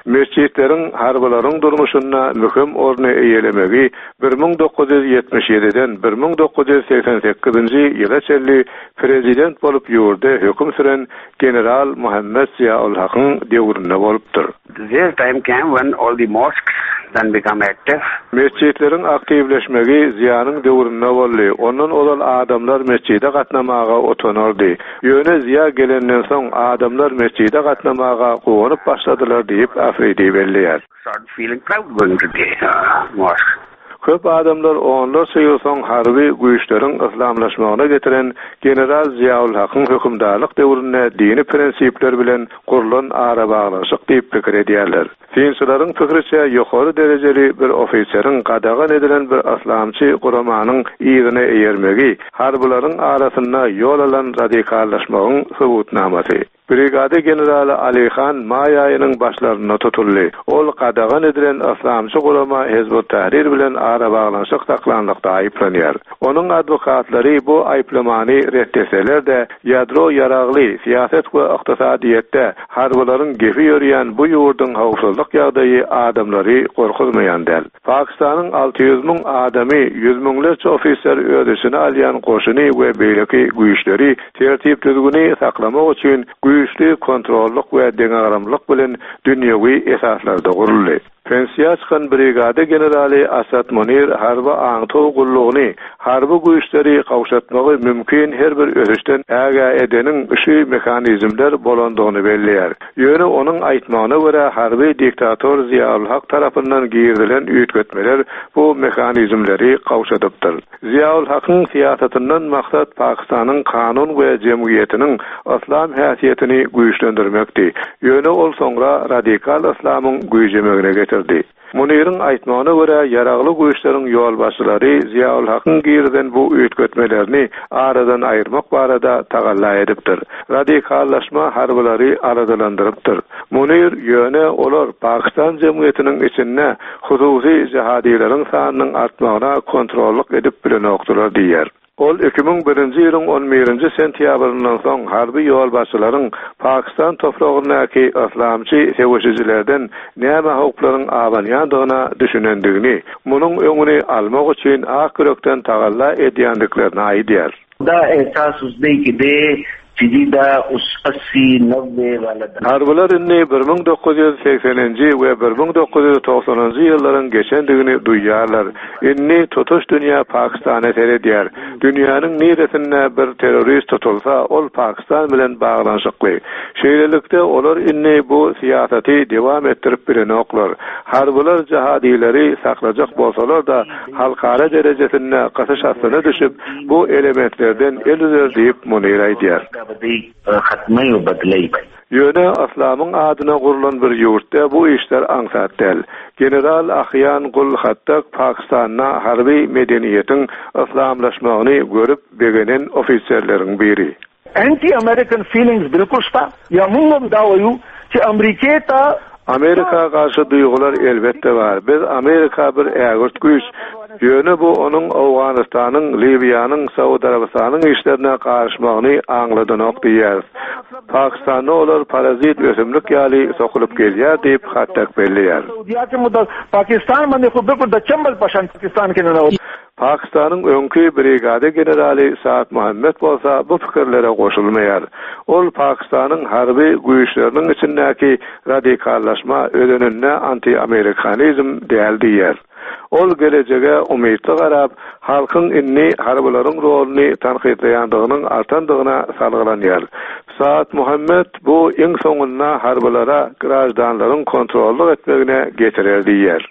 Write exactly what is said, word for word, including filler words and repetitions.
Metjitleriň harbylaryň durmuşynda möhüm orny eýelemegi bir müň dokuz ýüz ýetmiş ýediden bir müň dokuz ýüz segsen sekizinji ýyla çenli prezident bolup ýurda höküm süren general Muhammed Ziaul Hakyň döwründe bolupdyr. There time came when all the mosques then become active. Metjitleriň aktiwleşmegi Ziýanyň döwründe boldy. Ondan ozal adamlar metjide gatnamaga otanardy. Ýöne Ziýa gelenden soň adamlar metjide gatnamaga guwanyp başladylar diýip Afridi belleýär. Start feeling proud going to the, uh, mosque. Köp adamlar onlarça ýyl soň harby güýçleriň yslamlaşmagyna getiren general Ziaul Hakyň hökümdarlyk döwründe dini prinsipler bilen gurlan arabaglanyşyk diýip pikir edýärler. Synçylaryň pikiriçe ýokary derejeli bir ofiseriň gadagan edilen bir yslamçy guramanyň yzyna eýermegi harbylaryň arasynda ýol alan radikallaşmagyň subutnamasy. Brigada generaly Ali Han maý aýynyň başlarynda tutuldy. Ol gadagan edilen yslamçy gurama Hizbut Tahrir bilen arabaglanyşyk saklanlykda aýyplanýar. Onuň adwokatlary bu aýyplamany retteseler-de, ýadro ýaragly syýasat we ykdysadyýetde harbylaryň gepi ýörýän bu ýurduň howpsuzlyk ýagdaýy adamlary gorkuzmaýan däl. Pakistanyň alty ýüz müň adamy, ýüz müňlerçe ofiser öz içine alýan goşuny we beýleki güýçleri tertip düzgüni saklamak üçin güýçli kontrollyk we deňagramlyk bilen dünýewi esaslarda guruldy. Pensiýa çykan brigada generaly Asad Munir harby aňtow gullugyny, harby güýçleri gowşatmagy mümkin her bir ösüşden ägä edeniň şu mehanizmler bolandygyny belleýär. Ýöne onuň aýtmagyna görä harby diktator Ziaul Hak tarapyndan girizilen üýtgetmeler bu mehanizmleri gowşadypdyr. Ziaul Hakyň syýasatyndan maksat Pakistanyň kanun we jemgyýetiniň yslam häsiýetini güýçlendirmekdi. Ýöne ol soňra radikal yslamyň güýjemegine getirdi. Muniriň aýtmagyna görä ýaragly güýçleriň ýolbaşçylary Ziaul Hakyň girizen bu üýtgetmelerini aradan aýyrmak barada tagalla edipdir. Radikallaşma harbylary aladalandyrypdyr. Munir ýöne olar Pakistan jemgyýetiniň içinde hususy jihadileriň sanynyň artmagyna kontrollyk edip bilenokdylar diýer. Ol iki müň birinji ýylyň on birinji sentýabryndan soň harby ýolbaşçylaryň Pakistan topragyndaky yslamçy söweşijilerden näme howplaryň abanýandygyna düşünendigini, munuň öňüni almak üçin ak ýürekden tagalla edýändiklerini aýdýar. Da ehsas uzde ki de Jidida us assi nowwe wala da. Harbylar indi bir müň dokuz ýüz segseninji we bir müň dokuz ýüz togsanynjy ýyllaryň geçendigini duýýarlar. Indi tutuş dünýä Pakistana seredýär. Dünýäniň niresinde bir terrorist tutulsa, ol Pakistan bilen baglanyşykly. Şeýlelikde olar indi bu syýasaty dowam etdirip bilenoklar. Harbylar jihadileri saklajak bolsalar da halkara derejesinde gysyş astyna düşüp, bu elementlerden el üzer diýip Munir aýdýar. Ýöne yslamyň adyna gurlan bir ýurtda bu işler aňsat däl. General Ahyan Gul Hattak Pakistanda harby medeniýetiň yslamlaşmagyny görüp begenen ofiserleriň biri. Anti-American feelings bilkul şta, ýa mungam dawaýu ki Ameriketa Amerika garşy duýgular elbetde bar. Biz Amerika bir ägirt güýç. Ýöne bu onuň Owganystanyň, Liwiýanyň, Saud Arabystanyň işlerine garyşmagyny aňladanok diýýär. Pakistanda olar parazit ösümlik ýaly sokulyp gelýär diýip Hattak belleýär. Pakistan many bilkul da çambal paşan Pakistan ke nana. Pakistanyň öňki brigada generaly Saad Muhammed bolsa bu pikirlere goşulmaýar. Ol Pakistanyň harby güýçleriniň içindäki radikallaşma özeninde anti-amerikanizm däl diýär. Ol gelejege umytly garap, halkyň indi harbylaryň roluny tankytlaýandygynyň artandygyna salgylanýar. Saad Muhammed bu iň soňunda harbylara grajdanlaryň kontrollyk etmegine getirer diýär.